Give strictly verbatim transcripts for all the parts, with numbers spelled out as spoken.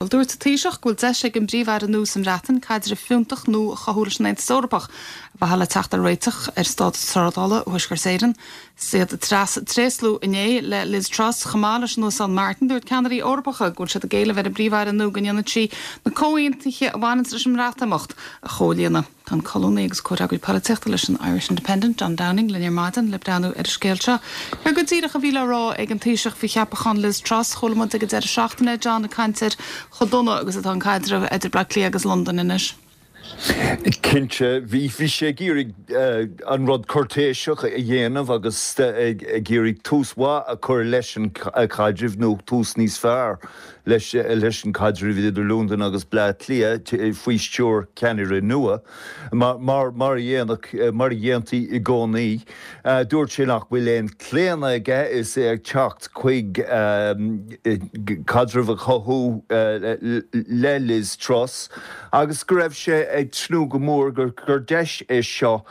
Well, dúirt an Taoiseach go bhfuil deis ag an bPríomh-Aire nua sa mBreatain caidreamh fiúntach nua a chothú leis an Aontas Eorpach ar mhaithe le teacht ar réiteach ar stádas trádála Thuaisceart Éireann. Is iad ag tréaslú inné le Liz Truss chomh maith leis an Uasal Martin dúirt ceannairí Eorpacha go bhfuil siad ag éileamh ar an bPríomh-Aire nua go ndéanfaidh sí na comhaontuithe a bhaineann leis an mBreatimeacht a chomhlíonadh. Tá an colúnaí agus comhfhreagraí polaitíochta leis an Irish Independent, John Downing, linn ar maidin le breathnú ar an scéal seo. Céard go díreach a bhí le rá ag an Taoiseach faoi cheapachán Liz Truss chuala muid ag an deireadh seachtaine John ag caint ar chomh dona agus atá an caidreamh idir Bleá Cliath agus Londain anois. Cinnte bhí bhí sé ag iarraidh an rud cúirtéiseach a dhéanamh agus ag iarraidh tús mhaith a chur leis an chaidreamh nó tús níos fearr leis leis an caidreamh idir Londain agus Bleá Cliath faoi stiúir ceannaire nua mar mar mar a dhéanadh mar a dhéantaí i gcónaí. Dúirt sé nach bhfuil aon chlaonadh aige is é ag teacht chuig caidreamh a chothú le Liz Truss agus go raibh sé ag tnúth go mór gur gur deis é seo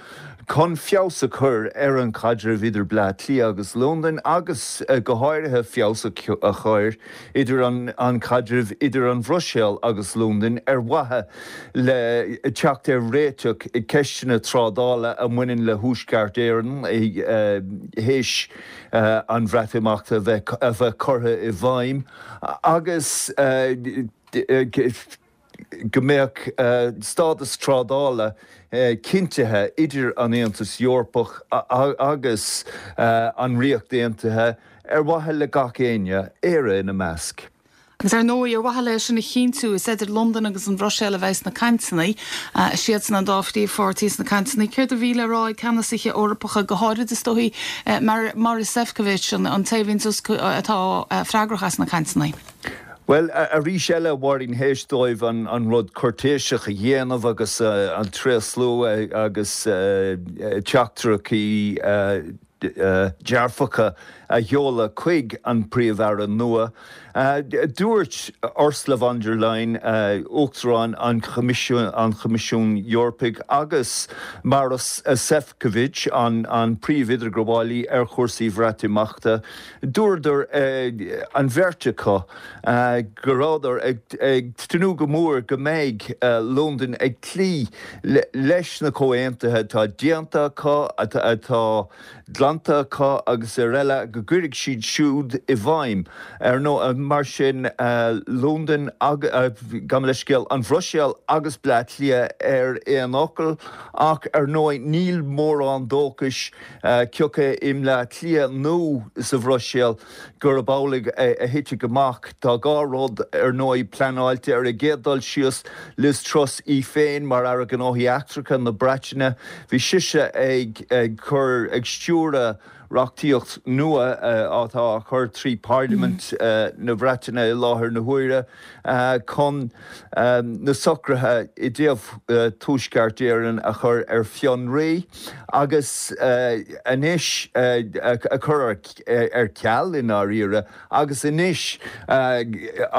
chun feabhas a chur ar an chaidreamh idir Bleá Cliath agus Londain agus go háirithe feabhas a chur idir an an caidreamh idir an Bhruiséil agus Londain ar mhaithe le teacht ar réiteach i ceisteanna trádála a mbaineann le Tuaisceart Éireann théis an Bhreatimeachta a bheith a bheith curtha i bhfeidhm agus go mbeadh stádas trádála cinntithe idir an Aontas Eorpach agus an Ríocht Aontaithe ar mhaithe le gach éinne Éire ina measc. Agus ar ndóigh ar mhaithe leis sin a chinntiú is idir Londain agus an Bhruiséil a bheidh na cainteanna siadsan an dá phríomhpháirtí sna cainteanna céard a bhí le rá ag ceannasaithe Eorpacha go háirid is dóigh mar Maroš Šefčovič an an té atá freagrach as na cainteanna. Well arís eile Mháirín théis dóibh an, an rud cúirtéiseach a dhéanamh agus uh, an tréaslú agus uh, teachtaireachtaí uh, dearfacha a sheoladh chuig an príomh-aire nua. Uh, dúirt Ursula von der Leyen uh, Uachtarán an Choimisiún an Choimisiún Eorpaigh agus Maroš Šefčovič an, an príomh-idirghabhálaí ar chúrsaí Breatimeachta, dúradar uh, an bheirt acu uh, go rabhadar ag, ag tnúth go mór go mbeidh uh, Londain ag cloí le, leis na comhaontuithe atá déanta acu atá glanta acu agus ar eile go gcuirfidh siad siúd i bhfeidhm ar nó mar sin uh, Londain uh, gan leithscéal an Bhruiséil agus Bleá Cliath ar aon fhocal ach ar ndóigh níl mórán dóchais uh, cioca i mBleá Cliath nó sa Bhruiséil gurb amhlaidh a thitfidh amach tá dhá rud ar ndóigh pleanáilte ar an gcéad dul síos Liz Truss í féin mar Aire Gnóthaí Eachtracha na Breataine bhí sise ag ag cur ag stiúradh reachtaíocht nua atá á chur trí Parliament mm. uh, na Breataine i láthair na huaire uh, chun um, na socruithe i dtaobh uh, Tuaisceart Éireann a chur ar fionraí agus uh, anois uh, a chur ar, ar ceal i ndáiríre agus anois uh,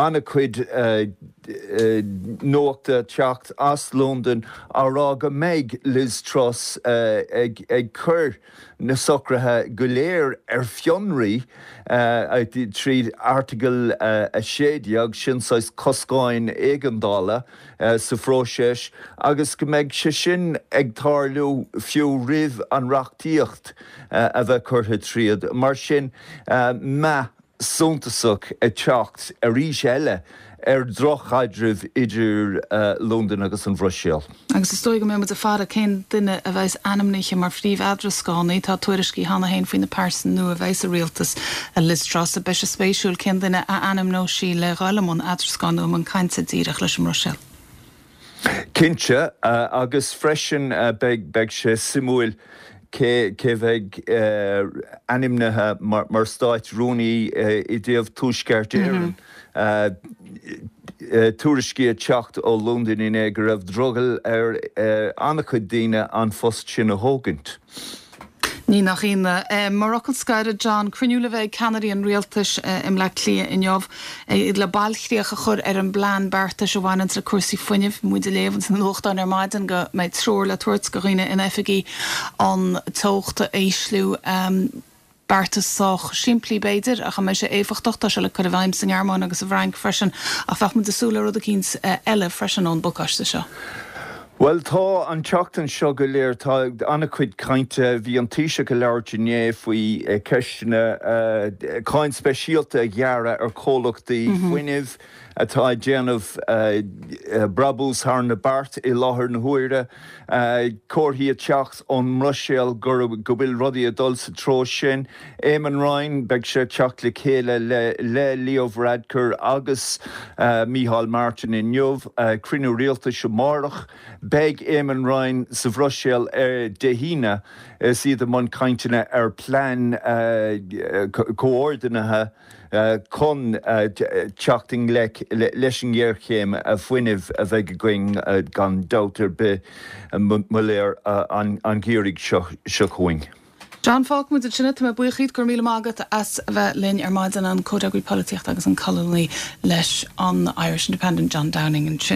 an-chuid uh, uh, nuachta teacht as Londain á rá go mbeidh Liz Truss uh, ag, ag cur na socruithe go léir ar fionraí uh, tríd Airteagal uh, a sé déag sin saghas coscáin éigeandála uh, sa phróiseas agus go mbeidh sé sin ag tarlú fiú roimh an reachtaíocht uh, a bheith curtha tríd. Mar sin uh, meath suntasach ag teacht arís eile ar drochchaidreamh idir uh, Londain agus an Bhruiséil. Agus is dóigh go mbeidh muid ag faire cén duine a bheas ainmnithe mar phríomh-eadrascánaí tá tuairiscí cheana féin faoin pearsa nua a bheas sa rialtas a Liz Truss a beidh sé spéisiúil cén duine a ainmneoidh sí le dhul i mbun eadrascáin nó i mbun cainte díreach leis an mBruiséil. Cinnte uh, agus freisin uh, beidh beidh sé suimiúil cé cé bheidh uh, ainmnithe mar, mar stát rúnaí uh, i dtaobh Tuaisceart Éireann. Mm -hmm. Uh, uh, tuairiscí ag teacht ó Londain inné go raibh drogall ar uh, an-chuid daoine an phost sin a thógaint. Ní nach ionadh mar fhocal scoir John cruinniú le bheith ag ceannairí an rialtais i mBleá Cliath inniu le bailchríoch a chur ar an bplean beartais a bhaineann le cúrsaí fuinnimh muid ag léamh sna nuachtáin ar maidin go mbeidh treoir le tabhairt do dhaoine in oifigí an teocht a ísliú um, Beartas sách simplí b'fhéidir ach an mbeidh sé éifeachtach tá sé le cur i bhfeidhm sa nGearmáin agus sa bhFrainc freisin ach bheadh muid ag súil le rud eicínt eile freisin ón bpacáiste seo. Well tá an tseachtain seo go léir tá an-chuid cainte bhí an Taoiseach ag labhairt inné faoi ceisteanna cáin speisialta a ghearradh ar chomhlachtaí fuinnimh atá ag déanamh brabús thar na beart i láthair na huaire. Comharthaí ag teacht ón mBruiséil go go bhfuil rudaí ag dul sa treo sin. Eamon Ryan beidh sé teacht le chéile le le Leo Varadkar agus Micheál Martin inniu cruinniú rialtais amárach. Beidh Eamon Ryan sa Bhruiséil ar Dé hAoine is iad i mbun cainteanna ar plean comhordaithe chun teacht i ngleic leis an ngéarchéim fuinnimh a bheidh againn gan dabht ar bith mo léir an geimhreadh seo seo chugainn. John fágfaidh muid ansin tá mé buíoch díot go raibh míle maith agat as a bheith linn ar maidin an comhfhreagraí polaitíochta agus an colúnaí leis an Irish Independent John Downing ansin.